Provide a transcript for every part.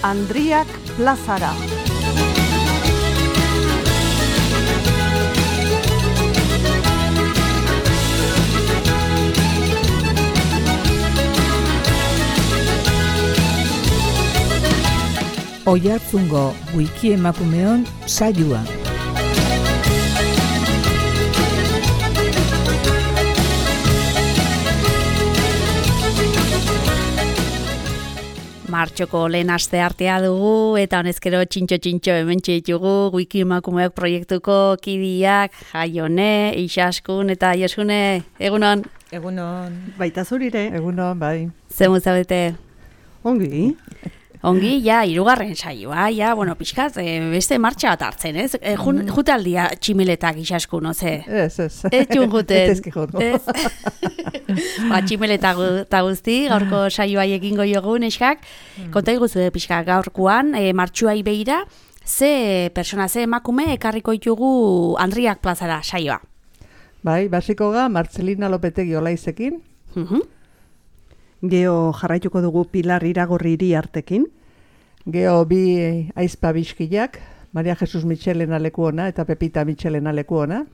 Andriak plazara. Oiartzungo wiki emakumeon saioa. Martxoko lehen aste artea dugu eta honezkero txintxo hementxe ditugu wiki emakumeok proiektuko kidiak, Jaione, Ixaskun eta Josune, egunon? Egunon. Baita zurire. Egunon, bai. Zemu zaudete? Ongi. Ongi, ja, hirugarren saioa, ja, bueno, pixkat, beste martxa bat hartzen, ez? Jutaldia tximeletak Ixaskun, oze? Ez. Ez jun juten. Ez juten. Ba, tximeletak eta guzti, gaurko saioa egingo jogu, neskak. Konta iguzu, pixka, gaurkoan, martxuai behira, ze persona, ze emakume, ekarriko ditugu Andriak plazara saioa. Bai, basiko ga, Martzelina Lopetegi Olaizekin. Geo jarraituko dugu Pilar Iragorri artekin. Geo bi aizpa bizkiak, Maria Jesus Michelena lekuona eta Pepita Michelena lekuona.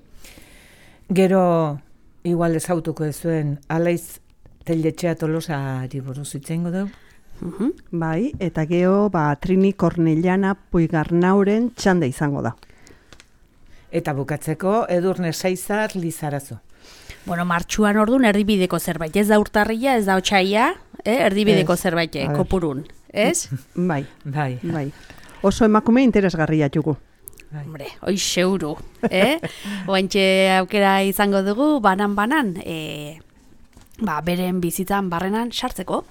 Gero, igual ezautuko ezuen, Alaiz Telletxea Tolosa buruz itzengo dugu. Bai, eta geo Trini Kornellana Puigarnauren txanda izango da. Eta bukatzeko, Edurne Saizar Lizarazo. Bueno, martxuan orduan erdibideko zerbait, ez da urtarria, ez da otsaia, erdibideko zerbait, kopurun, ez? Bai. Bai. Oso emakume interesgarria jugu. Hombre, hoi seuru, Oantxe aukera izango dugu, banan, beren bizitzan barrenan sartzeko.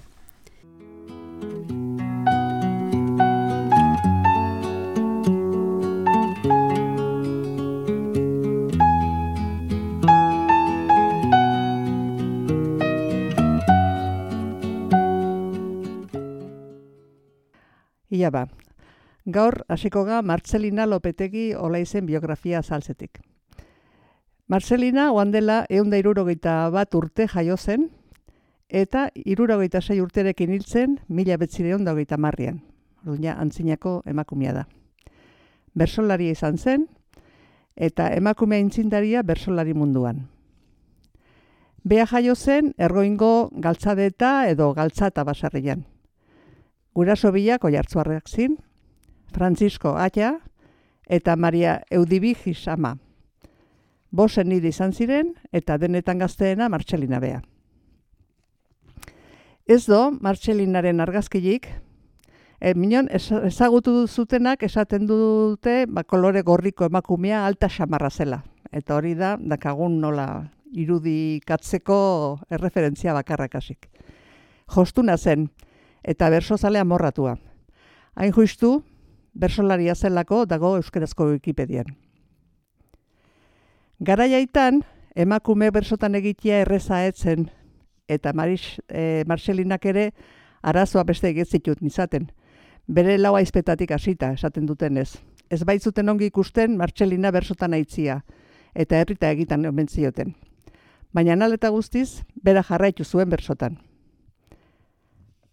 Ia ba, gaur hasiko ga Martzelina Lopetegi Olaizen biografia azaltzetik. Martzelina oan dela 161 urte jaio zen, eta 66 urterekin hiltzen 1930an. Orduan antzinako emakumea da. Bersolaria izan zen, eta emakumea intzindaria bersolari munduan. Bea jaio zen Ergoingo galtzadeta edo galtzata basarrian. Guraso biak Oiartzuarrak zin, Francisco Aya eta Maria Eudibigis ama. Bosen nire izan ziren eta denetan gazteena Martzelina bea. Ez do, Martzelinaren argazkilik, minon ezagutu zutenak esaten dute kolore gorriko emakumea alta xamarra zela. Eta hori da, dakagun nola irudikatzeko erreferentzia bakarrakasik. Jostuna zen, eta bersozalea morratua. Hain justu, bersolaria zelako dago euskarazko Wikipedian. Garaiaitan, emakume bersotan egitea erreza etzen, eta Martzelinak ere arazoa beste egitzitut nizaten. Bere lau aizpetatik hasita, esaten dutenez. Ez baitzuten ongi ikusten Martzelina bersotan aitzia, eta herrita egitan omen zioten. Baina naleta guztiz, bera jarraitu zuen bersotan.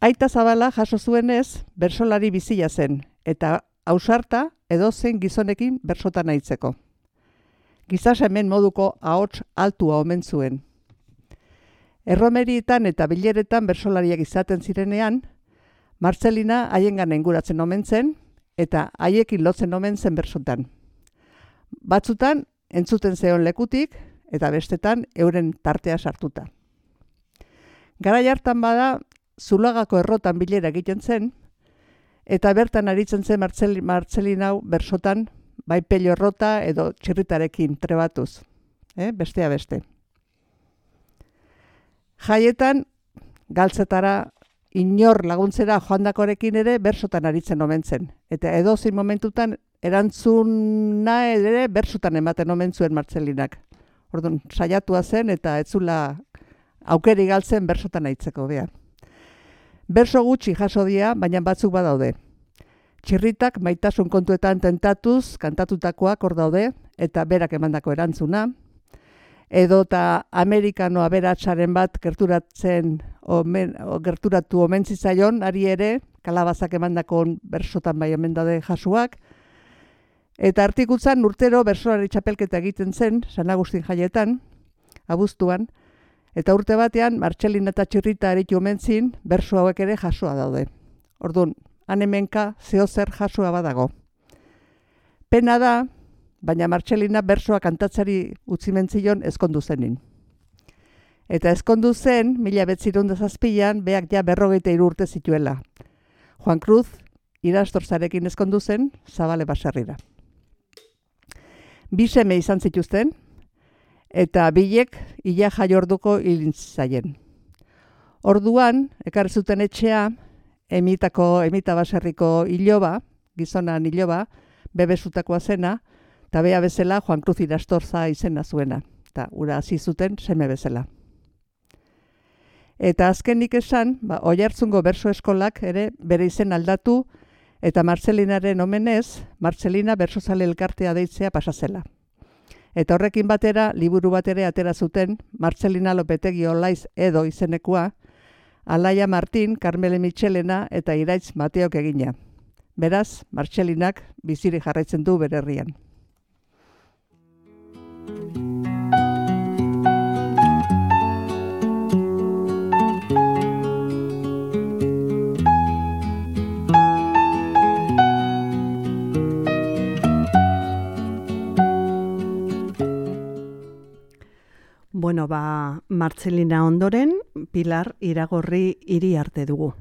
Aita Zabala jaso zuenez, bersolari bizia zen, eta ausarta edozein gizonekin bersotan aitzeko. Gizasemen moduko ahots altua omen zuen. Erromerietan eta bileretan bersolariak izaten zirenean, Martzelina haiengan enguratzen omen zen, eta haiekin lotzen omen zen bersotan. Batzutan, entzuten zeon lekutik, eta bestetan euren tartea sartuta. Garai hartan bada, Zulagako errotan bilera egiten zen, eta bertan aritzen zen Martzelina hau bersotan, bai pello errota edo txirritarekin trebatuz, bestea beste. Jaietan, galtzetara inor laguntzera joandakorekin ere bersotan aritzen omen zen, eta edozein momentutan erantzuna ere bersotan ematen omen zuen Martzelinak. Orduan, saiatua zen eta etzula aukeri galtzen bersotan aitzeko behar. Berso gutxi jaso dira, baina batzuk badaude. Txirritak maitasun kontuetan tentatuz kantatutakoak hor daude, eta berak emandako erantzuna. Edota Amerikano aberatsaren bat gerturatu omen zitzaion, ari ere, kalabazak emandako bersotan bai omen daude jasuak. Eta artikutzan urtero bersoari txapelketa egiten zen, San Agustin jaietan, abuztuan, eta urte batean Martxelina eta Txirrita aritu omen zin, berso hauek ere jasua daude. Orduan, han hemenka zeozer jasua badago. Pena da, baina Martxelina bersoa kantatzari utzi mentzion ezkondu zenin. Eta ezkondu zen, 1907an, beak ja 43 urte zituela. Juan Cruz, Irastorzarekin ezkondu zen, Zabale baserrira. Bi seme izan zituzten, eta bilek ia jaiorduko hilintzaien. Orduan, ekarri zuten etxea, Emita baserriko iloba, gizonan iloba, bebezutakoa zena, eta bea bezala Juan Cruz Irastorza izena zuena, eta ura hasi zuten seme bezala. Eta azkenik esan, Oiartzungo berso eskolak ere bere izen aldatu, eta Martxelinaren omenez, Martxelina bersozale elkartea deitzea pasazela. Eta horrekin batera, liburu bat ere atera zuten, Martxelina Lopetegi Olaiz edo izenekua, Alaia Martin, Carmele Mitxelena eta Iraitz Mateok egina. Beraz, Martxelinak biziri jarraitzen du bere herrian. Bueno, Martxelina ondoren, Pilar Iragorri Iriarte dugu.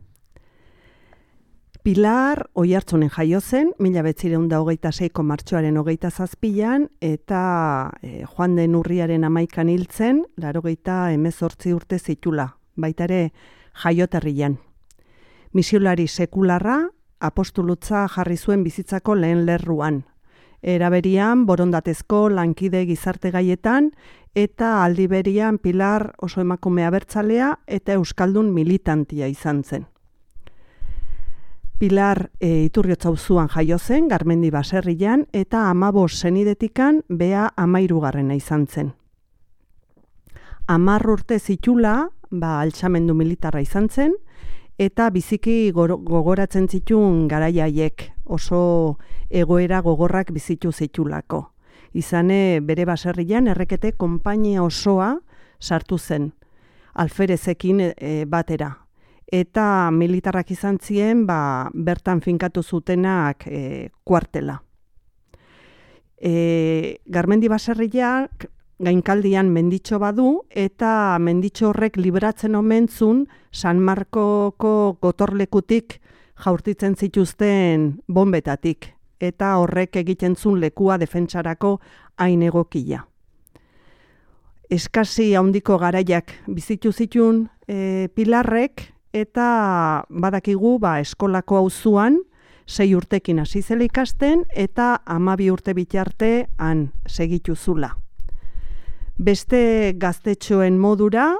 Pilar Oiartzunen jaio zen, 1926ko martxoaren 27an, eta joan den urriaren 11an hiltzen, 98 urte zitula, baita ere jaioterrian. Misiolari sekularra, apostolutza jarri zuen bizitzako lehen lerruan. Eraberian, borondatezko lankide gizarte gaietan, eta aldiberian Pilar oso emakume abertzalea eta euskaldun militantia izan zen. Pilar Iturriotz auzoan jaio zen, Garmendi baserrian, eta 15 senidetikan bea 13garrena izan zen. 10 urte zitula, altxamendu militarra izan zen, eta biziki gogoratzen zituen garaiaiek, oso egoera gogorrak bizitu zitulako. Izane bere baserrian errekete konpainia osoa sartu zen, alferezekin batera. Eta militarrak izan ziren, bertan finkatu zutenak kuartela. Garmendi baserriak gainkaldian menditxo badu, eta menditxo horrek libratzen omentzun San Markoko gotorlekutik jaurtitzen zituzten bombetatik, eta horrek egiten zuen lekua defentsarako hain egokia. Eskasi handiko garaiak bizitu zituen Pilarrek, eta badakigu eskolako auzuan 6 urtekin hasi zela ikasten, eta 12 urte bitarte han segitu zula. Beste gaztetxoen modura,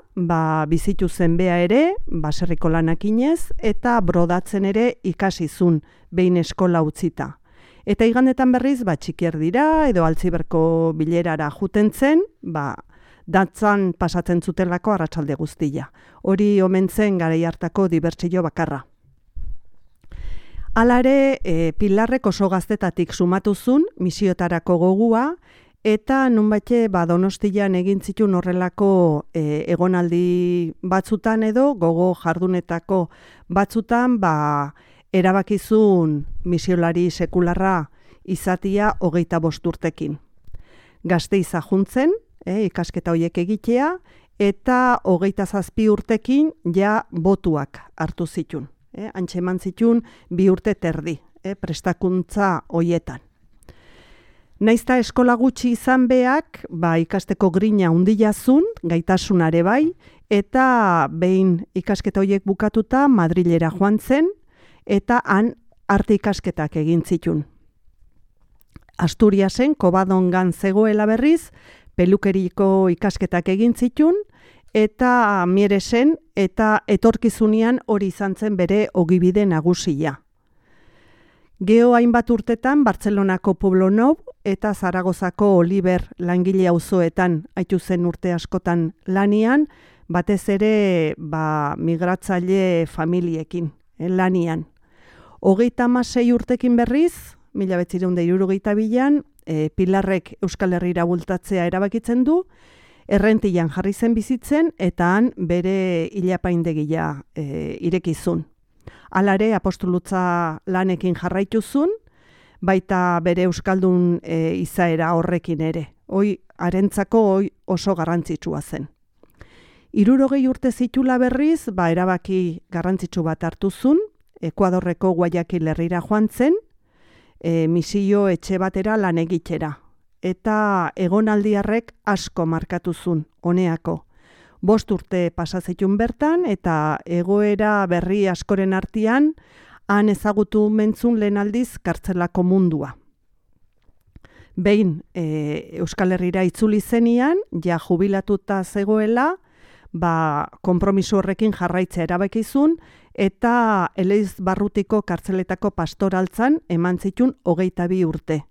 bizitu zen bea ere, baserriko lanakinez, eta brodatzen ere ikasizun behin eskola utzita. Eta igandetan berriz, txikier dira, edo altziberko bilerara juten zen, datzan pasatzen zutelako arratsalde guztia. Hori omen zen garai hartako dibertsio bakarra. Hala ere, Pilarrek oso gaztetatik sumatu zuen misiotarako gogua, eta nunbaite Donostian egin zituen horrelako egonaldi batzutan edo gogo jardunetako batzutan erabakizun misiolari sekularra izatia 25 urtekin. Gazteiza juntzen, ikasketa horiek egitea, eta 27 urtekin botuak hartu zituen. Antxe eman zituen 2 urte terdi, prestakuntza horietan. Naizta eskola gutxi izan beak, ikasteko grina handia zuen, gaitasunare bai, eta behin ikasketa horiek bukatuta Madrilera joan zen, eta han arte ikasketak egin zituen. Asturiasen, Kobadongan zegoela berriz, pelukeriko ikasketak egin zituen, eta Mieresen, eta etorkizunean hori izan zen bere ogibide nagusia. Geo hainbat urtetan Bartzelonako Pueblo Nou eta Zaragozako Oliver langile auzoetan aitu zen urte askotan lanian, batez ere migratzaile familiekin lanian. 36 urtekin berriz, 1962an, Pilarrek Euskal Herrira bultatzea erabakitzen du, Errentian jarri zen bizitzen eta han bere ilapaindegia irekizun. Halare apostolutza lanekin jarraituzun, baita bere euskaldun izaera horrekin ere. Harentzako oso garrantzitsua zen. 60 urte zitula berriz, erabaki garrantzitsu bat hartuzun, Ekuadorreko Guayaquil herrira joan zen, misio etxe batera lan egitera. Eta egonaldiarrek asko markatuzun, honeako. 5 urte pasazitun bertan, eta egoera berri askoren artean, han ezagutu mentzun lehen aldiz kartzelako mundua. Behin Euskal Herrira itzuli zenian, ja jubilatuta zegoela, konpromiso horrekin jarraitzea erabakizun, eta Eleiz Barrutiko kartzeletako pastoraltzan eman zitun 22 urte.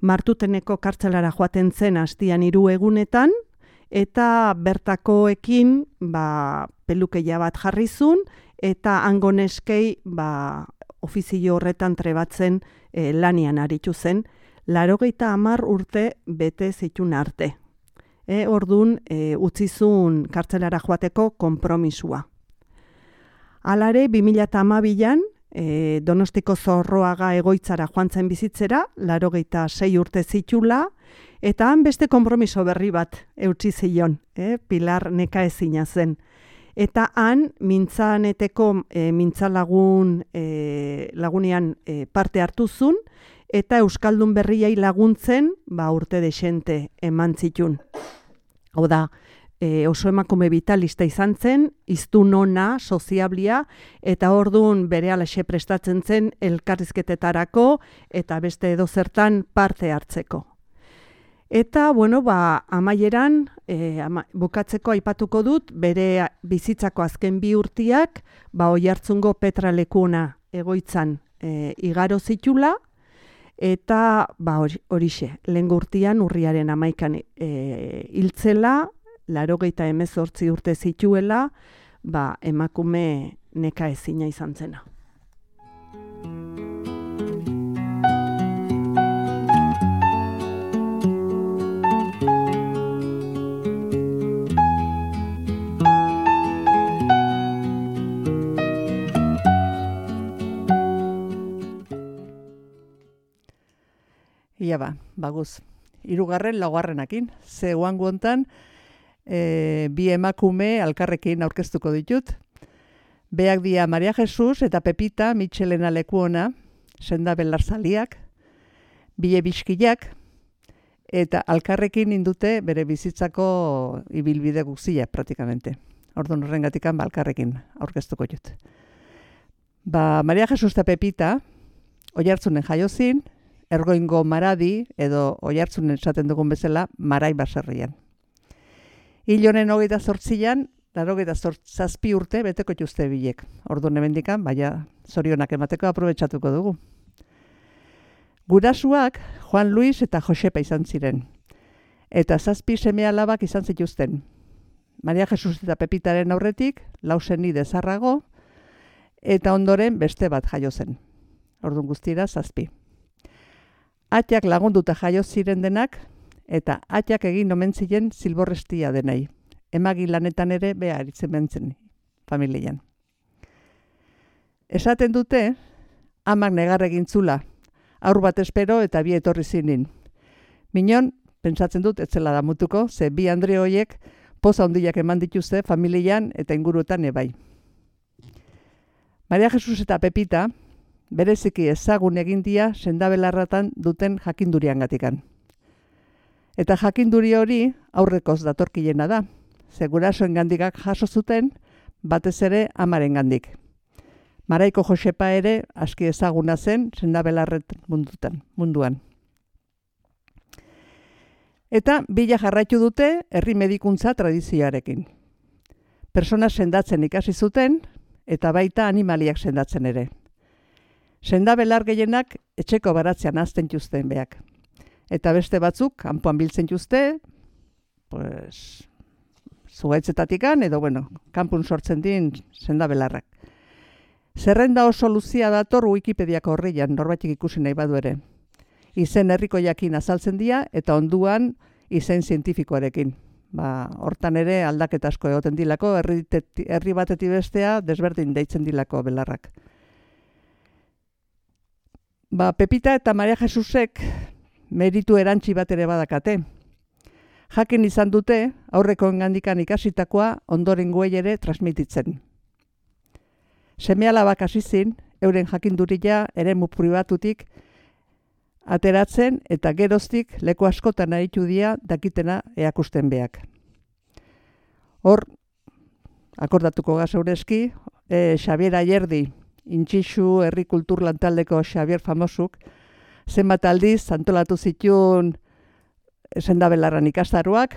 Martuteneko kartzelara joaten zen hastian 3 egunetan, eta bertakoekin pelukeia bat jarrizun, eta hango neskei ofizio horretan trebatzen lanian aritu zen, 80 urte bete zitun arte. Ordun utzizun kartzelara joateko konpromisua. Halare, 2012an, Donostiko Zorroaga egoitzara joan zen bizitzera, 86 urte zitula, eta han beste konpromiso berri bat eutsi zion, Pilar nekaezina zen. Eta han mintzaneteko mintzalagunean parte hartuzun, eta Euskaldun berriai laguntzen urte desente eman zitun. Hau da, oso emakume vitalista izan zen, hiztun ona, soziablia, eta orduan berehalaxe prestatzen zen elkarrizketetarako eta beste edozertan parte hartzeko. Eta, amaieran, bukatzeko aipatuko dut, bere bizitzako azken 2 urtiak, Oiartzungo Petralekuna egoitzan igaro zitula, eta horixe, lehengo urtian urriaren 11an hiltzela, 88 urte zituela, emakume nekaezina izan zena. Ia baguz. 3. 4. Ze oango hontan, 2 emakume alkarrekin aurkeztuko ditut. Beak dia Maria Jesus eta Pepita Mitxelena Lekuona, senda belartzaliak, bile biskiak, eta alkarrekin indute bere bizitzako ibilbide guzia praktikamente. Orduan horrengatikan alkarrekin aurkeztuko dut. Maria Jesus eta Pepita, Oiartzunen jaiozin, Ergoingo Maradi, edo Oiartzunen esaten dugun bezala, Marai baserrian. Hil honen 28an, 87 urte beteko jutuzte bilek. Orduan hemendikan, zorionak emateko aprobetxatuko dugu. Gurasuak Juan Luis eta Josepa izan ziren. Eta 7 seme-alabak izan zituzten. Maria Jesus eta Pepitaren aurretik, 4 senide zarrago, eta ondoren beste bat jaio zen. Orduan guztira 7. Atiak lagunduta jaio ziren denak, eta atiak egin omen ziren zilborrestia denai. Emagi lanetan ere beha aritzen bentzen familian. Esaten dute, amak negar egin zula, aur bat espero eta 2 etorri zinin. Minon, pentsatzen dut, etzela damutuko, ze 2 Andre hoiek poza handiak eman dituzte familian eta inguruetan ebai. Maria Jesus eta Pepita, bereziki ezagun egindia sendabelarratan duten jakinduriangatikan. Eta jakinduri hori aurrekoz datorkilena da, ze gurasoengandikak jaso zuten, batez ere amarengandik. Maraiko Josepa ere aski ezaguna zen sendabelarret munduan. Eta bila jarraitu dute herri medikuntza tradizioarekin. persona sendatzen ikasi zuten, eta baita animaliak sendatzen ere. Senda belar gehienak etxeko baratzean hazten juzten beak. Eta beste batzuk, kanpoan biltzen juzte, pues, zuhaitzetatikan, edo, kanpun sortzen din senda belarrak. Zerrenda oso luzia dator Wikipediako horrian, norbaitik ikusi nahi badu ere. Izen herriko jakin azaltzen dira, eta onduan izen zientifikoarekin. Hortan ere aldaketa asko egoten dilako, herri batetik bestea desberdin deitzen dilako belarrak. Pepita eta Maria Jesusek meritu erantzi bat ere badakate. Jakin izan dute, aurreko engandikan ikasitakoa ondorengoei ere transmititzen. Seme-alabak hasi zin, euren jakinduria eremu pribatutik ateratzen eta geroztik leku askotan aritu dira dakitena eakusten beak. Hor, akordatuko gazeurezki, Xabier Ayerdi, Intxixu herri kultur lantaldeko Xabier famosuk, zenbat aldiz antolatu zituen sendabelarran ikastaroak,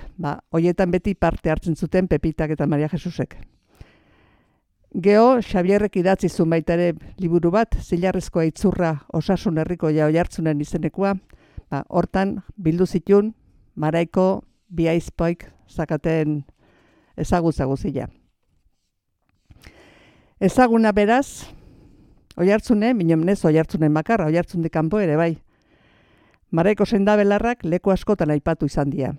hoietan beti parte hartzen zuten Pepitak eta Maria Jesusek. Geo, Xabierrek idatzi zuen baita ere liburu bat, Zilarrezkoa itzurra osasun herriko Oiartzunen izenekoa, hortan bildu zituen Maraiko Biaizpoik zakaten ezagutza guzia. Ezaguna beraz, Oiartzunen, minomnez Oiartzunen bakarra, Oiartzundik kanpo ere bai. Maraiko sendabelarrak leku askotan aipatu izan dira.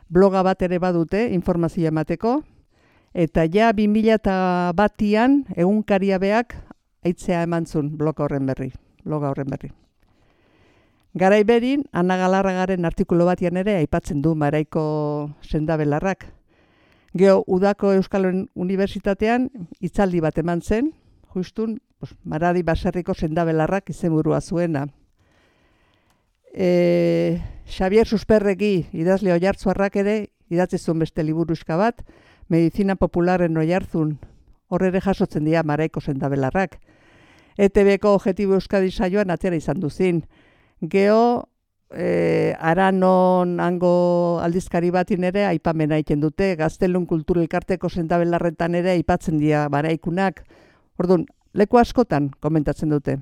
Bloga bat ere badute informazioa emateko, eta ja 2001an egunkaria beak aitzea eman zuen bloga horren berri. Garai berin, Ana Galarragaren artikulu batian ere aipatzen du Maraiko sendabelarrak. Geo, udako Euskal Unibertsitatean hitzaldi bat eman zen, justun, Maradi baserriko sendabelarrak izenburua zuena. Xabier Susperregi idazle oiartzuarrak ere idatzi zuen beste liburuska bat, Medizina Popularen Oiartzun, hor ere jasotzen dira Maraiko sendabelarrak. ETB-ko Objetibo Euskadi saioan atera izan duzin. Geo, Aranon hango aldizkari batin ere aipamena egiten dute, Gaztelun Kultur Elkarteko sendabelarretan ere aipatzen dira Maraikunak. Orduan, leku askotan komentatzen dute.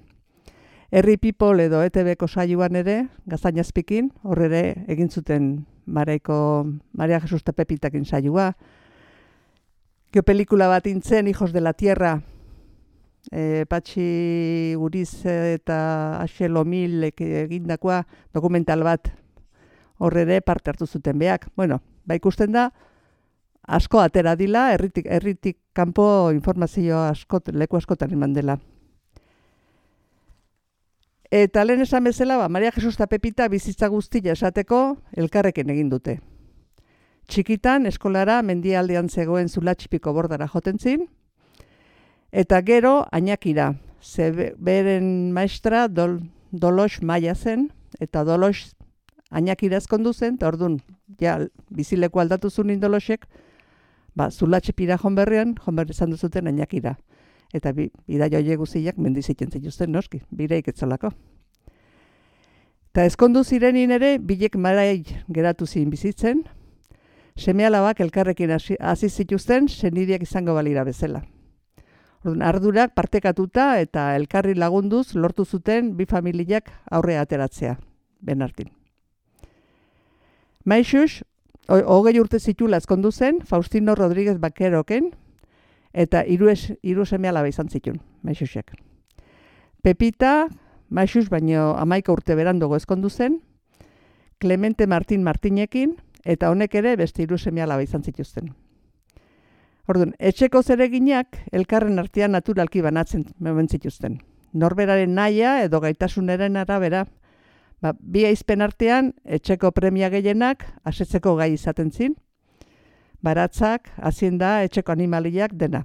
Herri People edo ETB-ko saioan ere, Gaztainazpikin, hor ere egin zuten Maraiko Maria Jesus eta Pepitakin saioa. Geopelikula bat intzen, Hijos de la Tierra, Patxi Uriz eta Axel Omil egindakoa dokumental bat hor ere parte hartu zuten beak. Ikusten da, asko atera dila, herritik kanpo informazio leku askotan eman dela. Eta lehen esan bezala, Maria Jesus eta Pepita bizitza guztia esateko elkarrekin egin dute. Txikitan, eskolara mendialdean zegoen Zulatxipiko bordara joten zin, eta gero Añakira, beren maestra Dolos Maia zen, eta Dolos Añakira ezkondu zen, eta orduan, bizileku aldatu zuen Indolosek, Zulatxipira jonberri izan duzuten Añakira. Eta bidai horiek guziak mendizitzen zituzten noski, bireik etzolako. Eta ezkondu zirenin ere, bilek Marai geratu zin bizitzen, seme-alabak elkarrekin hasi zituzten, senideak izango balira bezala. Ardurak partekatuta eta elkarri lagunduz lortu zuten bi familiak aurrea ateratzea, benartin. Maixus, 20 urte zitula ezkondu zen, Faustino Rodríguez Bakeroken, eta hiru seme-alaba izan zituen, Maixusek. Pepita, Maixus baino 11 urte beranduago ezkondu zen, Clemente Martín Martinekin, eta honek ere beste 3 seme-alaba izan zituzten. Orduan, etxeko zereginak elkarren artean naturalki banatzen zituzten. Norberaren nahia edo gaitasunaren arabera, bi aizpen artean etxeko premia gehienak asetzeko gai izaten zin, baratzak, hazienda, etxeko animaliak dena.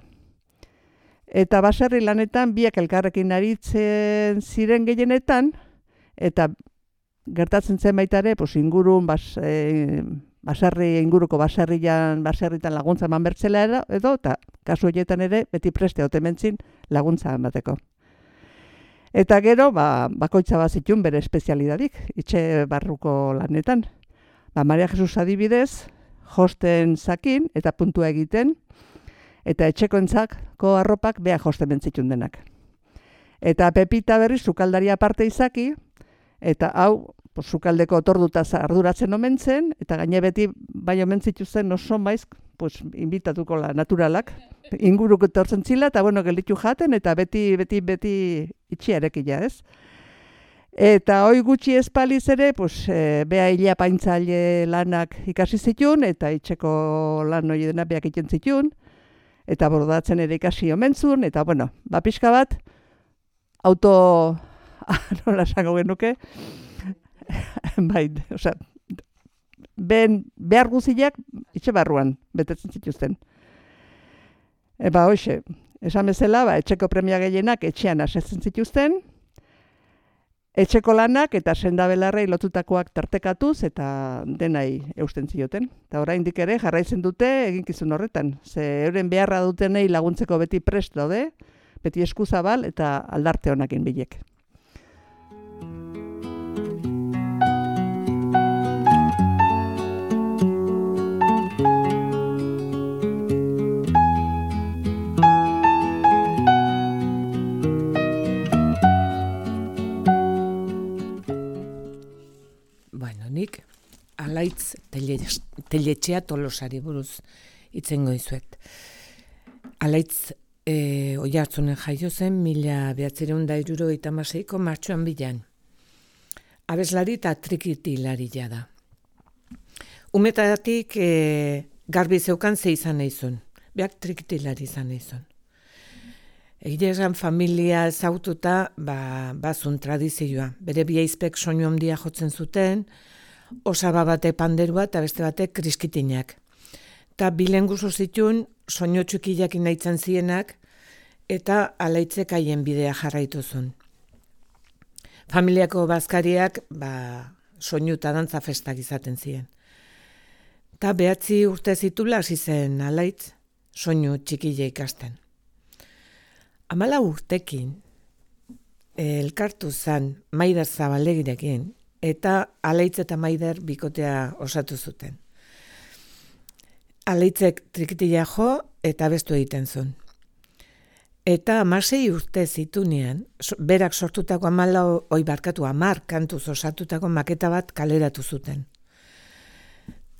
Eta baserri lanetan biak elkarrekin aritzen ziren gehienetan, eta gertatzen zen baita ere, ingurun, inguruko baserritan laguntza eman bertzela edo, eta kasu horietan ere, beti preste otementzin laguntza emateko. Eta gero, bakoitza bazitun bere espezialidadik, itxe barruko lanetan. Maria Jesus adibidez, josten zakin eta puntua egiten, eta etxekoentzako arropak beha josten bentzitun denak. Eta Pepita berri sukaldaria aparte izaki, eta hau sukaldeko otordutaz arduratzen omen zen, eta gaine beti bai omen zituzten oso maiz, inbitatuko la naturalak, inguruko etortzen zila, eta gelditu jaten, eta beti itxiarekia, ez? Eta hoi gutxi espaliz ere, beha hila paintzaile lanak ikasi zitun, eta itxeko lan hori dena beak iten zitun, eta bordatzen ere ikasi omentzun, eta pixka bat, auto, nola esango genuke, bai, behar guziak itxe barruan betetzen zituzten. Hoxe, esan bezala, etxeko premia gehienak etxean asetzen zituzten, etxeko lanak eta sendabelarrei lotutakoak tartekatuz eta denai eusten zioten. Eta oraindik ere jarraitzen dute eginkizun horretan. Ze euren beharra dutenei laguntzeko beti prest daude, beti eskuzabal eta aldarte honakin bilek. Nik Alaitz Teletxea Tolosari buruz itzengo izuet. Alaitz Oiartzunen jaio zen 1976ko martxoan bilan. Abeslari eta trikitilaria da. Umetatik garbi zeukan ze izan naizun. Beak trikitilari izan naizun. Egia esan familia ezaututa bazun tradizioa. Bere biaizpek soinu handia jotzen zuten, osaba batek panderua eta beste batek kriskitinak. Eta bilenguzu zituen soinu txukiak nahitzen zienak eta Alaitzek haien bidea jarraituzun. Familiako bazkariak soinu eta dantza festak izaten ziren. Eta 9 urte zitula hasi zen Alaitz soinu txikile ikasten. 14 urtekin elkartu zen Maider Zabalegirekin eta Alaitz eta Maider bikotea osatu zuten. Alaitzek trikitila jo eta bestu egiten zuen. Eta 16 urte zitunean, berak sortutako 10 kantuz osatutako maketa bat kaleratu zuten.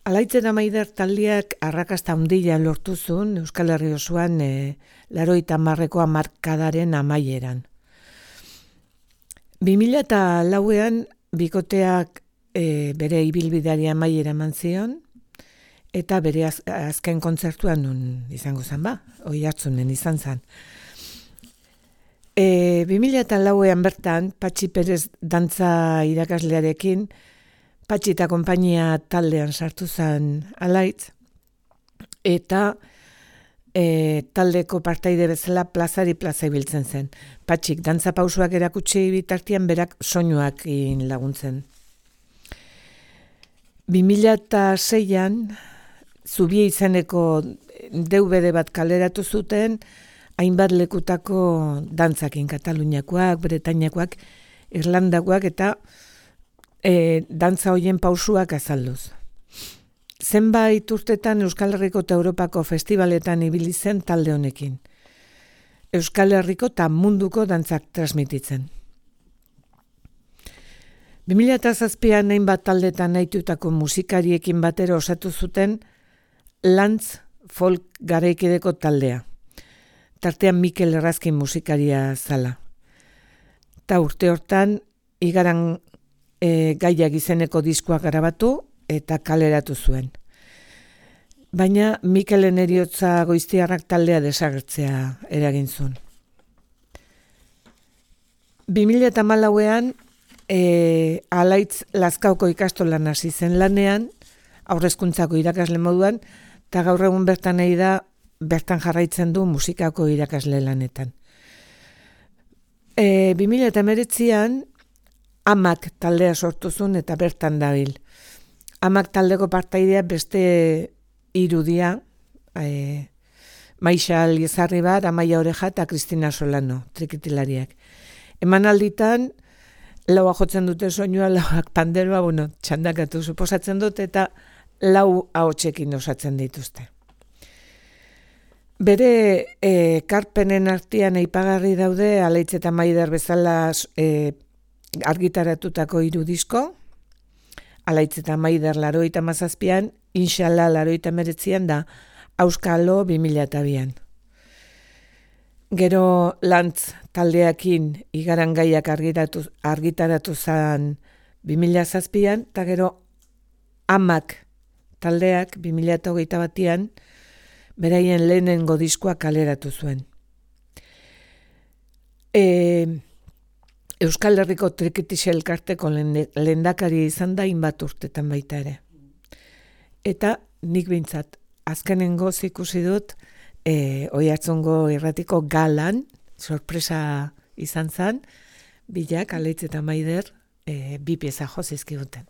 Alaitz eta Maider taldeak arrakasta handia lortu zuen Euskal Herri osoan 80ko hamarkadaren amaieran. 2004an bikoteak bere ibilbideari amaiera eman zion, eta bere azken kontzertuan nun izango zen Oiartzunen izan zen. 2004an bertan, Patxi Perez dantza irakaslearekin, Patxi eta konpainia taldean sartu zen Alaitz, eta taldeko partaide bezala plazari plaza ibiltzen zen. Patxik dantza pausuak erakutsi bitartian berak soinuak laguntzen. 2006an Zubie izeneko DVD bat kaleratu zuten, hainbat lekutako dantzakin, Kataluniakoak, Bretainiakoak, Irlandakoak eta dantza hoien pausuak azalduz. Zenbait urtetan Euskal Herriko eta Europako festivaletan ibili zen talde honekin. Euskal Herriko eta munduko dantzak transmititzen. 2007an hainbat taldetan nahitutako musikariekin batera osatu zuten Lantz folk garaikideko taldea. Tartean Mikel Errazkin musikaria zala. Ta urte hortan Igaran gaiak izeneko diskoa grabatu eta kaleratu zuen. Baina Mikelen heriotza goiztiarrak taldea desagertzea eragin zuen. 2014an Alaitz Lazkaoko ikastolan hasi zen lanean, haurrezkuntzako irakasle moduan, eta gaur egun bertan nahi da, bertan jarraitzen du musikako irakasle lanetan. 2019an Amak taldea sortu zuen eta bertan dabil. Amak taldeko partaidea beste irudia, Maixa Liezarri bat, Amaia Oreja eta Kristina Solano, trikitilariak. Emanalditan, laua jotzen dute soinua, lauak panderoa, txandakatu suposatzen dut, eta lau ahotsekin osatzen dituzte. Bere karpenen artean aipagarri daude Alaitz eta Maider bezala argitaratutako 3 disko, Alaitz eta Maider 87an, Inshallah 89an da Auskalo 2002an. Gero Lantz taldeakin Igaran gaiak argitaratu zan 2007an, eta gero Amak taldeak 2021an beraien lehenengo diskoa kaleratu zuen. Euskal Herriko Trikitixe elkarteko lehendakari izan da hainbat urtetan baita ere. Eta nik behintzat azkenengo ikusi dut Oiartzungo irratiko galan, sorpresa izan zen, bilak Alaitz eta Maider 2 pieza jo zizkiguten.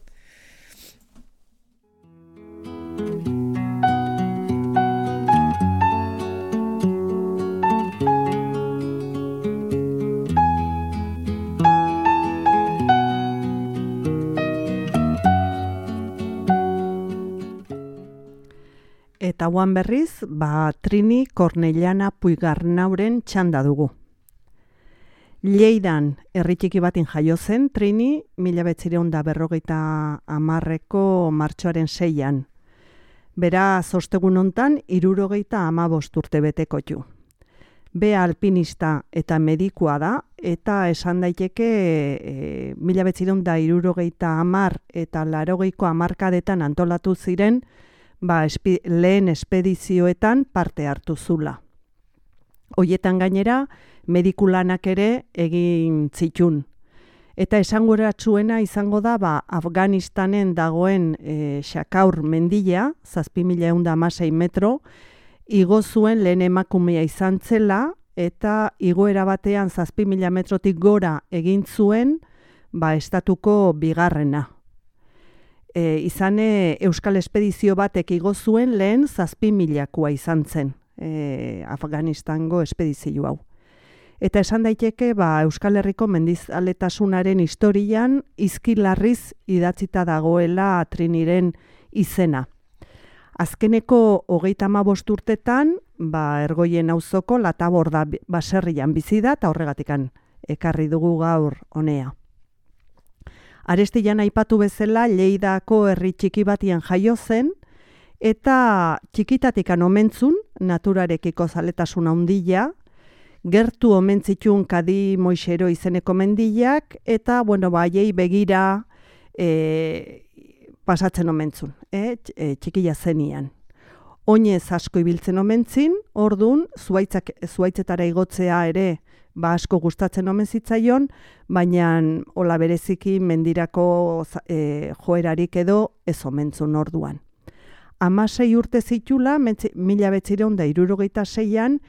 Eta guan berriz, Trini Kornellana Puigarnauren txanda dugu. Lleidan herri txiki batin jaio zen Trini 1950ko martxoaren 6an. Beraz, ostegun hontan 75 urte betekotu. Bea alpinista eta medikua da, eta esan daiteke 1970 eta 80ko hamarkadetan antolatu ziren lehen espedizioetan parte hartu zula. Hoietan gainera, medikulanak ere egin zitun. Eta esanguratsuena izango da Afganistanen dagoen Xakaur mendila, 7.116 metro, igo zuen lehen emakumea izan zela, eta igoera batean 7.000 metrotik gora egin zuen estatuko bigarrena. Izan Euskal Espedizio batek igo zuen lehen 7.000koa izan zen Afganistango espedizio hau. Eta esan daiteke Euskal Herriko mendizaletasunaren historian izkilarriz idatzita dagoela Triniren izena. Azkeneko 35 urtetan Ergoien auzoko Lataborda baserrian bizi da, eta horregatikan ekarri dugu gaur honea. Arestian aipatu bezala Lleidako herri txiki batian jaio zen, eta txikitatikan omentzun, naturarekiko zaletasun handia, gertu omentzitun Kadi Moixero izeneko mendilak, eta haiei begira pasatzen omentzun, txikila zenian. Oinez asko ibiltzen omentzin, ordun zuaitzetara igotzea ere asko gustatzen omen zitzaion, baina hola bereziki mendirako joerarik edo ez omentzun orduan. 16 urte zitula, 1966an,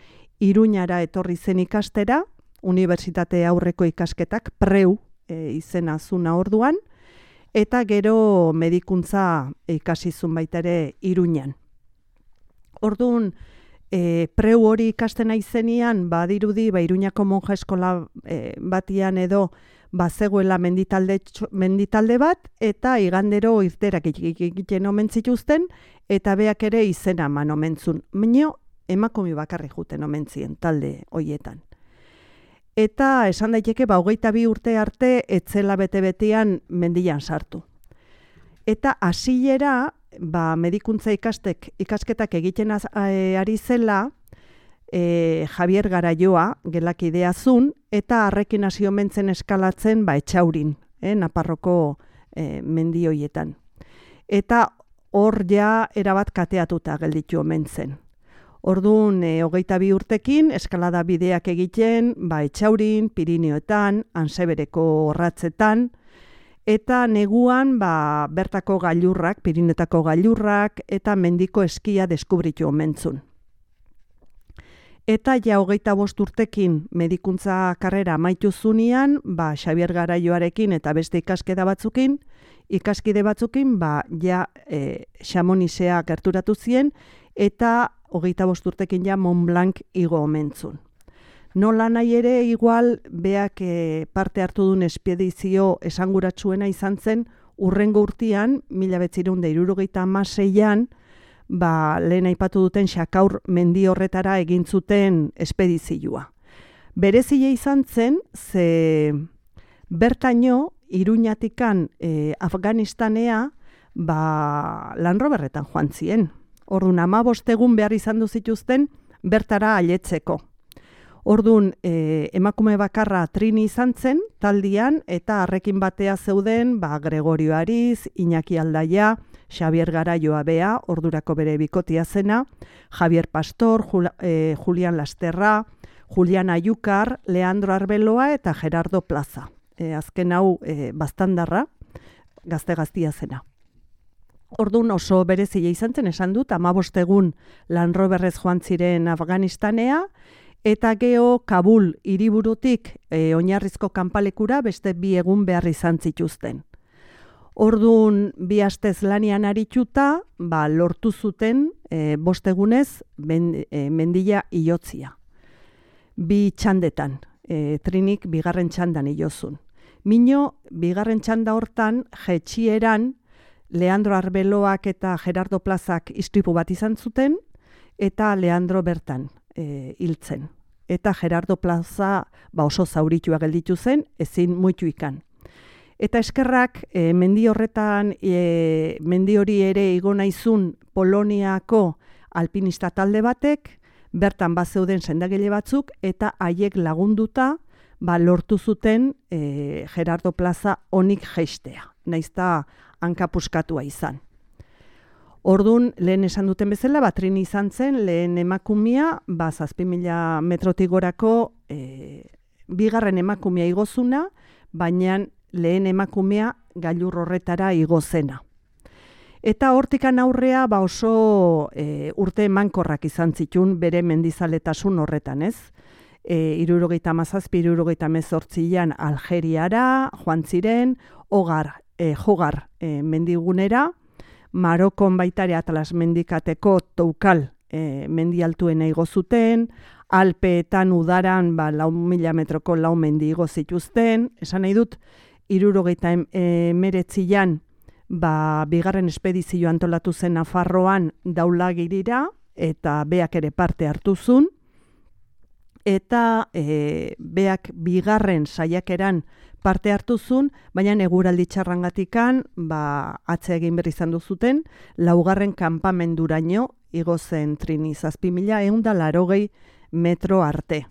Iruñara etorri zen ikastera, unibertsitate aurreko ikasketak preu izena zuna orduan, eta gero medikuntza ikasizun baita ere Iruñan. Orduan, preu hori ikasten aizenian, badirudi, Iruñako monja eskola batian edo zegoela menditalde bat, eta igandero irterak egiten omen zituzten, eta beak ere izena eman omentzun. Mino, emakume bakarrik juten omentzien talde hoietan. Eta esan daiteke 22 urte arte etzela bete-betean mendian sartu. Eta hasiera medikuntza ikasketak egiten ari zela Javier Garaioa gelakidea zun, eta harrekin hasi omentzen eskalatzen Etxaurin, Naparroko mendi hoietan. Eta hor ja erabat kateatuta gelditu omentzen. Orduan, 22 urtekin, eskalada bideak egiten, Etxaurin, Pirineoetan, Ansebereko orratzetan, eta neguan bertako gailurrak, Pirinetako gailurrak, eta mendiko eskia deskubritu omentzun. Eta ja 25 urtekin medikuntza karrera amaitu zunean, Xabier Garaioarekin eta beste ikaskide batzukin, ja Xamonixea gerturatu zien, eta 25 urtekin ja Mont Blanc igo omentzun. Nola nahi ere, igual, beak parte hartu duen espedizio esanguratsuena izan zen, urrengo urtean, 1976an, lehen aipatu duten Xakaur mendi horretara egin zuten espedizioa. Berezile izan zen, ze bertaino Iruñatikan Afganistanea Land Roverretan joan zien. Orduan 15 egun behar izan du zituzten bertara ailetzeko. Orduan emakume bakarra Trini izan zen taldian eta harrekin batea zeuden Gregorio Ariz, Iñaki Aldaia, Xavier Garaioa bea, ordurako bere bikotia zena, Javier Pastor, Julian Lasterra, Julian Ayukar, Leandro Arbeloa eta Gerardo Plaza. Azken hau bastandarra, gazte-gaztia zena. Orduan oso berezile izan zen, esan dut, 15 egun Land Roverrez joan ziren Afganistanea, eta geho Kabul hiriburutik oinarrizko kanpalekura beste 2 egun behar izan zituzten. Orduan 2 astez lanian arituta, lortu zuten 5 egunez mendila ilotzia. 2 txandetan, Trinik 2. txandan ilozun. Mino, 2. txanda hortan, jetxieran, Leandro Arbeloak eta Gerardo Plazak istripu bat izan zuten, eta Leandro bertan hiltzen. Eta Gerardo Plaza oso zauritua gelditu zen, ezin muitu ikan. Eta eskerrak mendi horretan, mendi hori ere igo naizun Poloniako alpinista talde batek, bertan zeuden sendagile batzuk, eta haiek lagunduta lortu zuten Gerardo Plaza onik jeistea, naizta hankapuskatua izan. Orduan, lehen esan duten bezala, Trini izan zen, lehen emakumea, 7.000 metrotik gorako 2. emakumea igozuna, baina lehen emakumea gailur horretara igozena. Eta hortikan aurrea oso urte emankorrak izan zitun bere mendizaletasun horretan, ez? 77-78an Algeriara joan ziren, Jogar mendigunera, Marokon baitare Atlas mendikateko Toukal mendialtuena igo zuten, Alpeetan udaran 4.000 metroko 4 mendi igo zituzten, esan nahi dut, 79an 2. espedizio antolatu zen Nafarroan Daulagirira, eta beak ere parte hartu zuen, eta beak 2. saiakeran parte hartu zuen, baina eguraldi txarrangatikan atze egin berri izan duzuten, 4. kanpamenduraino igo zen Trini, 7.180 metro arte.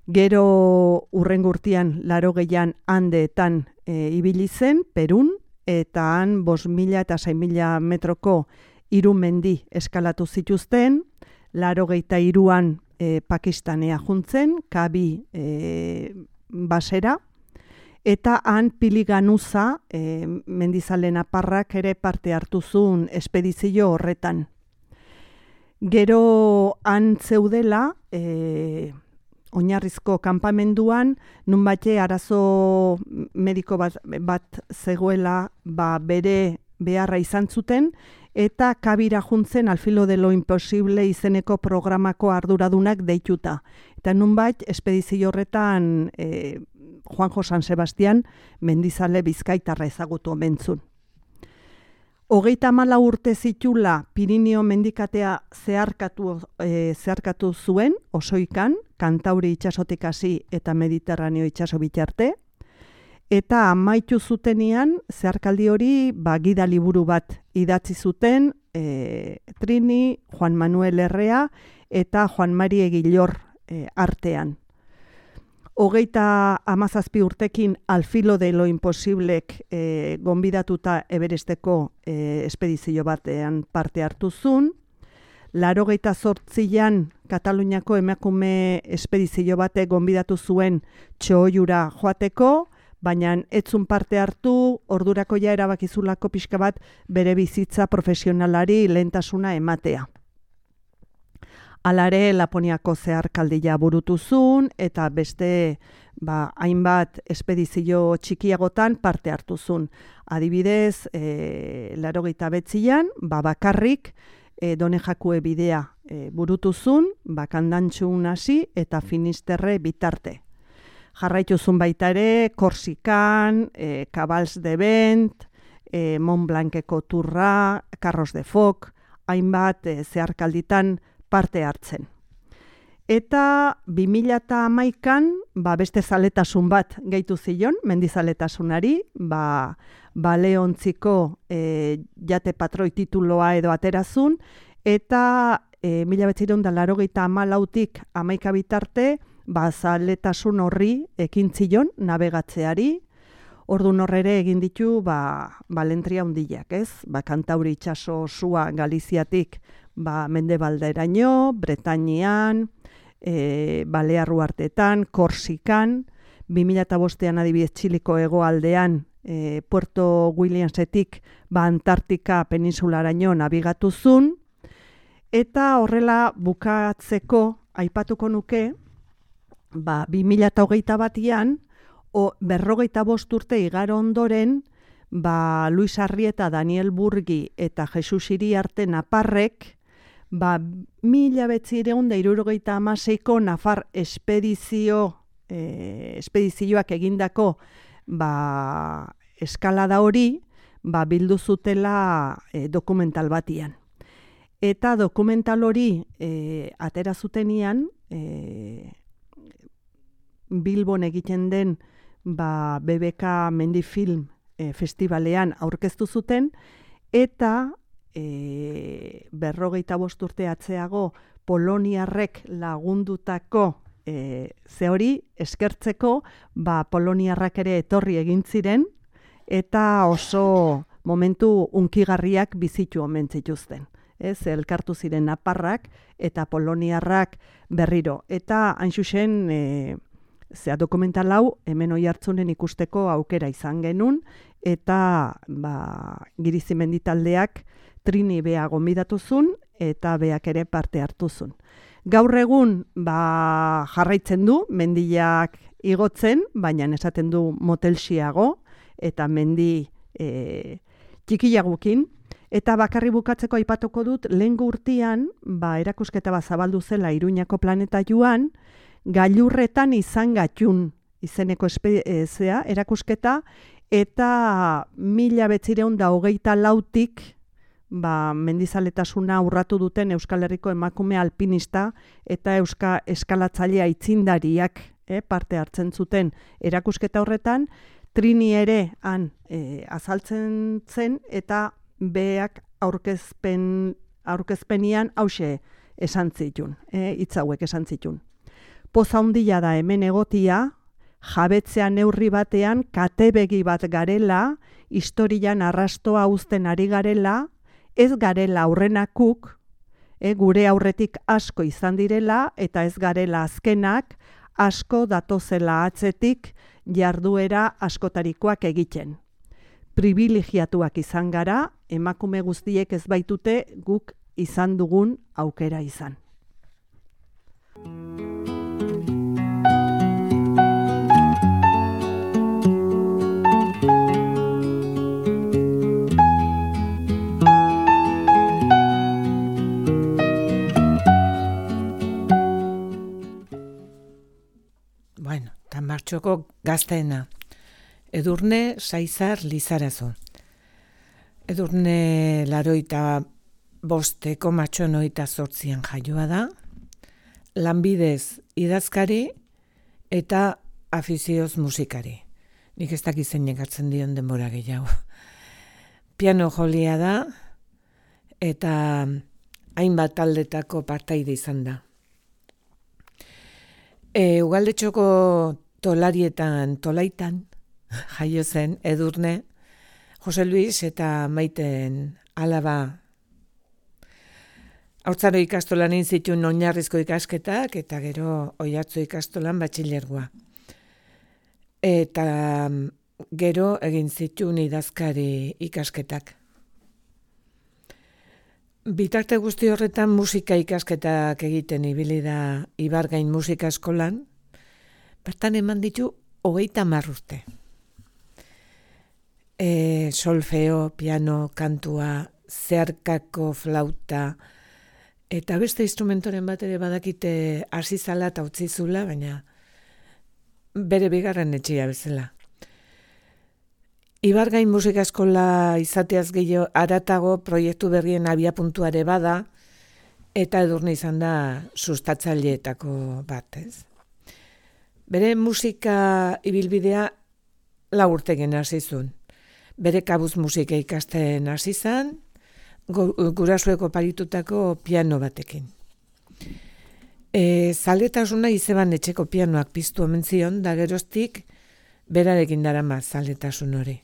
Gero urrengo urtean 80an Andeetan ibili zen, Perun, eta han 5.000 eta 6.000 metroko 3 mendi eskalatu zituzten, 83an Pakistanea juntzen, Kabi basera, eta han Piliganuza mendizalen aparrak ere parte hartu zuen espedizio horretan. Gero han zeudela, oinarrizko kanpamenduan, nunbait arazo mediko bat zegoela bere beharra izan zuten, eta Kabira juntzen Al filo de lo imposible izeneko programako arduradunak deituta. Eta nunbait espedizio horretan Juanjo San Sebastian mendizale bizkaitarra ezagutu omentzun. 34 urte zitula Pirinio mendikatea zeharkatu zuen, osoikan, Kantauri itsasotik hasi eta Mediterraneo itsaso bitarte, eta amaitu zutenean, zeharkaldi hori gida liburu bat idatzi zuten Trini, Juan Manuel Herrea eta Juan Mari Egilor artean. 37 urtekin Al filo de lo imposiblek gonbidatuta Everesteko espedizio batean parte hartu zuen. 88an Kataluniako emakume espedizio batek gonbidatu zuen Txoiura joateko, baina etzun parte hartu, ordurako ja erabakizulako pixka bat bere bizitza profesionalari lehentasuna ematea. Alare Laponiako zeharkaldia burutu zuen, eta beste hainbat espedizio txikiagotan parte hartu zuen. Adibidez, 89an, bakarrik Done Jakue bidea burutu zuen, Kandantxun hasi eta Finisterre bitarte. Jarraitu zuen baita ere, Korsikan, Cabals de Vent, Mont Blanceko turra, Carros de Foc, hainbat zeharkalditan parte hartzen. Eta 2011an beste zaletasun bat gehitu zion, mendizaletasunari, baleontziko jate patroi tituloa edo aterazun, eta 1984tik 11 bitarte, zaletasun horri ekin zion navegatzeari. Ordun horrere egin ditu balentria hundiak, ez? Kantauri itsaso sua Galiziatik Mendebalderaino, Bretainian, Balear uhartetan, Korsikan, 2005an adibidez Txiliko hegoaldean, Puerto Williamsetik Antartika peninsularaino nabigatu zuen, eta horrela bukatzeko aipatuko nuke, 2021an, 45 urte igaro ondoren, Luis Arrieta, Daniel Burgi eta Jesus Iriarte naparrek, 1976ko Nafar espedizioak egindako eskalada hori bildu zutela dokumental batian. Eta dokumental hori atera zutenian, Bilbon egiten den BBK Mendifilm Festivalean aurkeztu zuten, eta 45 urte atzeago poloniarrek lagundutako ze hori eskertzeko, poloniarrak ere etorri egin ziren, eta oso momentu unkigarriak bizitu omen zituzten. Elkartu ziren naparrak eta poloniarrak berriro. Eta hain zuzen, dokumental hau hemen Oiartzunen ikusteko aukera izan genuen, eta Girizimendi taldeak Trini bea gonbidatu zuen, eta beak ere parte hartu zuen. Gaur egun jarraitzen du, mendiak igotzen, baina esaten du motelxiago, eta mendi txikiagukin. Eta bakarri bukatzeko aipatuko dut, lehengo urtean, erakusketa zabaldu zela Iruñako planeta joan, gailurretan izan gatxun izeneko erakusketa, eta 1924tik mendizaletasuna urratu duten Euskal Herriko emakume alpinista eta eskalatzailea aitzindariak parte hartzen zuten erakusketa horretan, Trini ere han azaltzen zen, eta beak aurkezpenian hause esan zitun, hitz hauek esan zitun. Poza handia da hemen egotia, jabetzea neurri batean katebegi bat garela, historian arrastoa uzten ari garela, ez garela aurrenakuk, gure aurretik asko izan direla, eta ez garela azkenak, asko datozela atzetik jarduera askotarikoak egiten. Privilegiatuak izan gara, emakume guztiek ez baitute guk izan dugun aukera izan. Bueno, eta martxoko gazteena. Edurne Saizar Lizarazu. Edurne 85 matxoen 28an jaioa da, lanbidez idazkari eta afizioz musikari. Nik ez dakit zeinek hartzen dion denbora gehiago. Piano jolia da, eta hainbat taldetako partaide izan da. Ugaldetxoko tolaitan jaio zen Edurne, Jose Luis eta Maiten alaba. Haurtzaro ikastolan egin zituen oinarrizko ikasketak, eta gero Oiartzu ikastolan batxilergoa. Eta gero egin zituen idazkari ikasketak. Bitarte guzti horretan musika ikasketak egiten ibili da Ibargain musika eskolan, bertan eman ditu 30 urte. Solfeo, piano, kantua, zeharkako flauta, eta beste instrumentoren bat ere badakite hasi zala eta utzi zula, baina bere bigarren etxea bezala. Ibargain musika eskola izateaz gehiago aratago proiektu berrien abiapuntuare bada, eta Edurne izan da sustatzaileetako bat, ez? Bere musika ibilbidea 4 urtegen hasi zuen. Bere kabuz musika ikasten hasi zen, gurasoek oparitutako piano batekin. Zaletasuna izeban etxeko pianoak piztu omen zion, da geroztik berarekin darama zaletasun hori.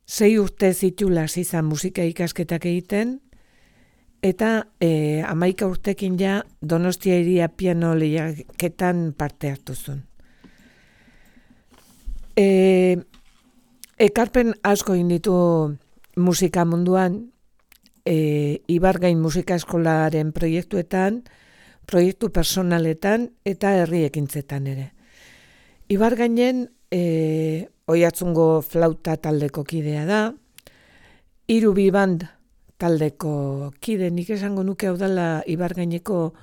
6 urte zitula hasi zen musika ikasketak egiten, eta 11 urtekin ja Donostia Hiria piano lehiaketan parte hartu zuen. Ekarpen asko egin ditu musika munduan, Ibargain musika eskolaren proiektuetan, proiektu personaletan eta herri ekintzetan ere. Ibargainen Oiartzungo flauta taldeko kidea da, 3 biband taldeko kide, nik esango nuke hau dela Ibargaineko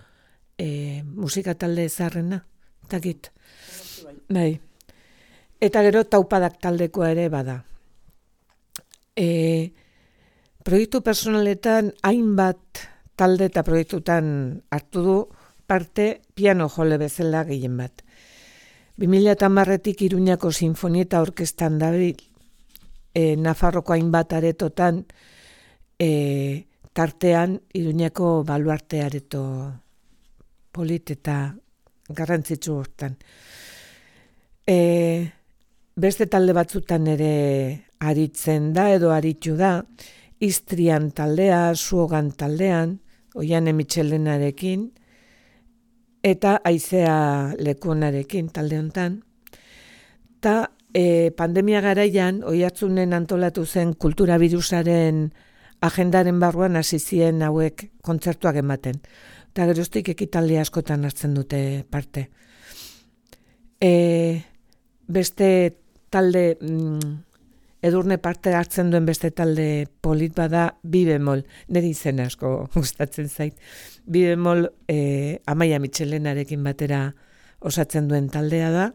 musika talde zaharrena, takit. Bai. Eta gero taupadak taldekoa ere bada. Proiektu personaletan hainbat talde eta proiektutan hartu du parte piano jole bezala gehien bat. 2010etik Iruñako Sinfonieta Orkestan dabil, Nafarroko hainbat aretotan, tartean Iruñako baluarte areto polit eta garrantzitsu hortan. Beste talde batzutan ere aritzen da edo aritu da, Istrian taldea, Suogan taldean, Oiane Mitxelenarekin, eta Aizea Lekuonarekin talde hontan. Ta pandemia garaian, Oiartzunen antolatu zen kultura birusaren agendaren barruan hasi ziren hauek kontzertuak ematen. Eta geroztik ekitaldi askotan hartzen dute parte. Beste talde, Edurne parte hartzen duen beste talde polit bada Bi bemol, niri izen asko gustatzen zait. Bi bemol Amaia Mitxelenarekin batera osatzen duen taldea da.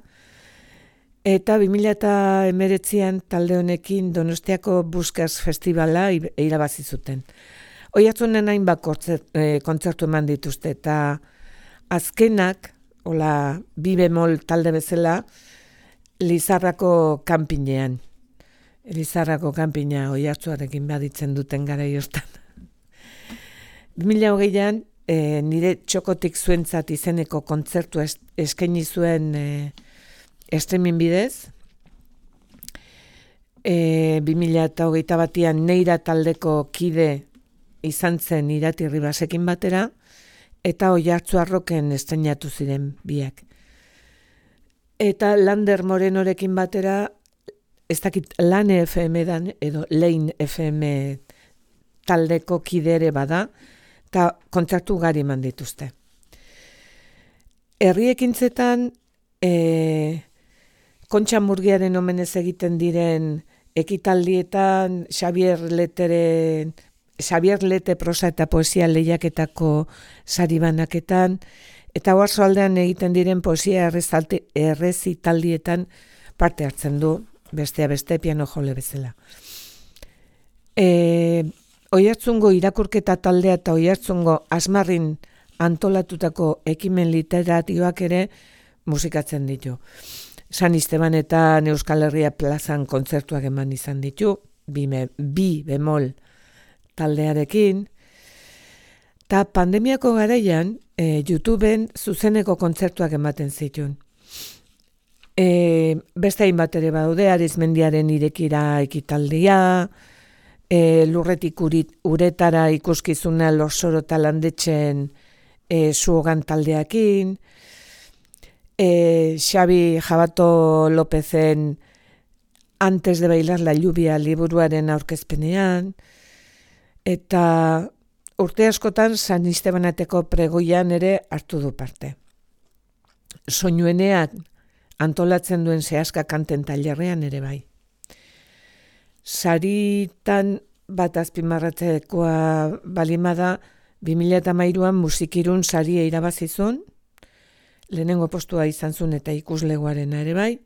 Eta 2019an talde honekin Donostiako Buskas Festivala irabazi zuten. Oiartzunen hainbat kontzertu eman dituzte, eta azkenak, hola, Bi bemol talde bezala, Lizarrako kanpinean. Lizarrako kanpina Oiartzuarekin baditzen duten garai hortan. 2020an nire txokotik zuentzat izeneko kontzertu eskaini zuen streaming bidez. 2021an Neira taldeko kide izan zen Irati Ribasekin batera, eta Oiartzuarroken estreinatu ziren biak. Eta Lander Morenorekin batera, ez dakit Lane FM dan edo Lein FM taldeko kidere bada, eta kontzertu gari eman dituzte. Herri ekintzetan, Kontxa Murgiaren omenez egiten diren ekitaldietan, Xabier Lete prosa eta poesia lehiaketako sari banaketan, eta Oarsoaldean egiten diren poesia errezitaldietan parte hartzen du, bestea beste piano jole bezala. Oiartzungo irakurketa taldea eta Oiartzungo Asmarrin antolatutako ekimen literatioak ere musikatzen ditu. San Estebanetan Euskal Herria plazan kontzertuak eman izan ditu, bi bemol taldearekin, eta pandemiako garaian YouTubeen zuzeneko kontzertuak ematen zituen. Beste hainbat ere badaude, Arizmendiaren irekira ekitaldia, Lurretik uretara ikuskizuna Lorsoro eta Landetxen Suogan taldeakin, Xabi Jabato Lopezen Antes de bailar la lluvia liburuaren aurkezpenean, eta urte askotan San Estebanateko pregoian ere hartu du parte. Soinuenean antolatzen duen Sehaska kanten tailerrean ere bai. Saritan bat azpimarratzekoa balimada, 2013an Musikirun saria irabazizun, lehenengo postua izan zuen eta ikuslegoarena ere bai,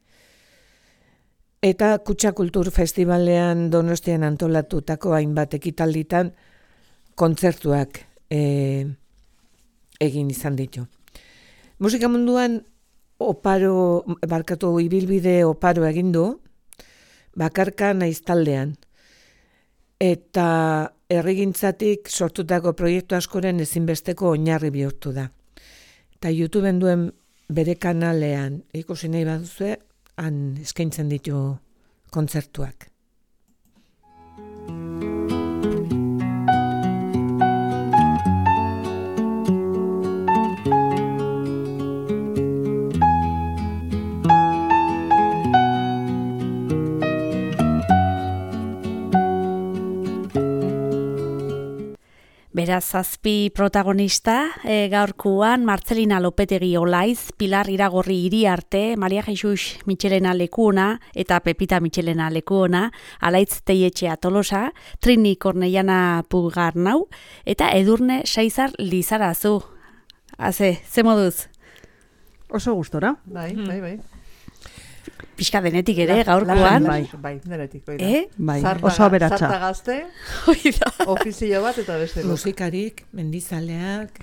Eta Kutxa Kultur Festivalean Donostian antolatutako hainbat ekitalditan kontzertuak egin izan ditu. Musika munduan ibilbide oparo egin du, bakarka naiz taldean. Eta herrigintzatik sortutako proiektu askoren ezinbesteko oinarri bihurtu da. Eta YouTubeen duen bere kanalean ikusi nahi baduzue, han eskaintzen ditu kontzertuak. Beraz, zazpi protagonista, gaurkoan Martzelina Lopetegi Olaiz, Pilar Iragorri Iriarte, Maria Jesus Michelena Lekuona eta Pepita Michelena Lekuona, Alaitz Teietxea Tolosa, Trini Korneiana Pugarnau eta Edurne Saizar Lizarazu. Ze moduz? Oso gustora. Bai. Pixka denetik ere, gaurkoan. Bai, denetik. Bai, oso aberatsa. Sarta gazte, ofizio bat eta beste. Musikarik, mendizaleak,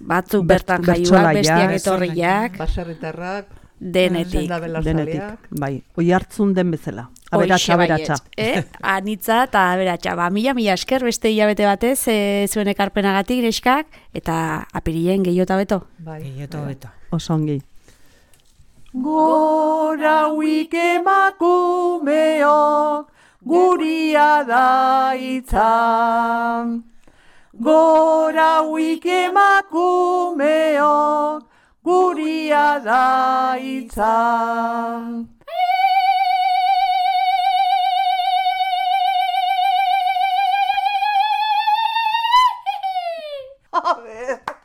batzuk bertan jaioak, bestiak etorriak, baserritarrak, denetik. Bai, oi hartzun den bezala. Aberatsa. Anitza eta aberatsa. Mila esker beste hilabete batez, zuen ekarpenagatik neskak, eta apirien gehiota beto. Bai, gehiota beto. Oso ongi. Gora huik emakumeok, guria da itzan. Gora huik emakumeok, guria da itzan.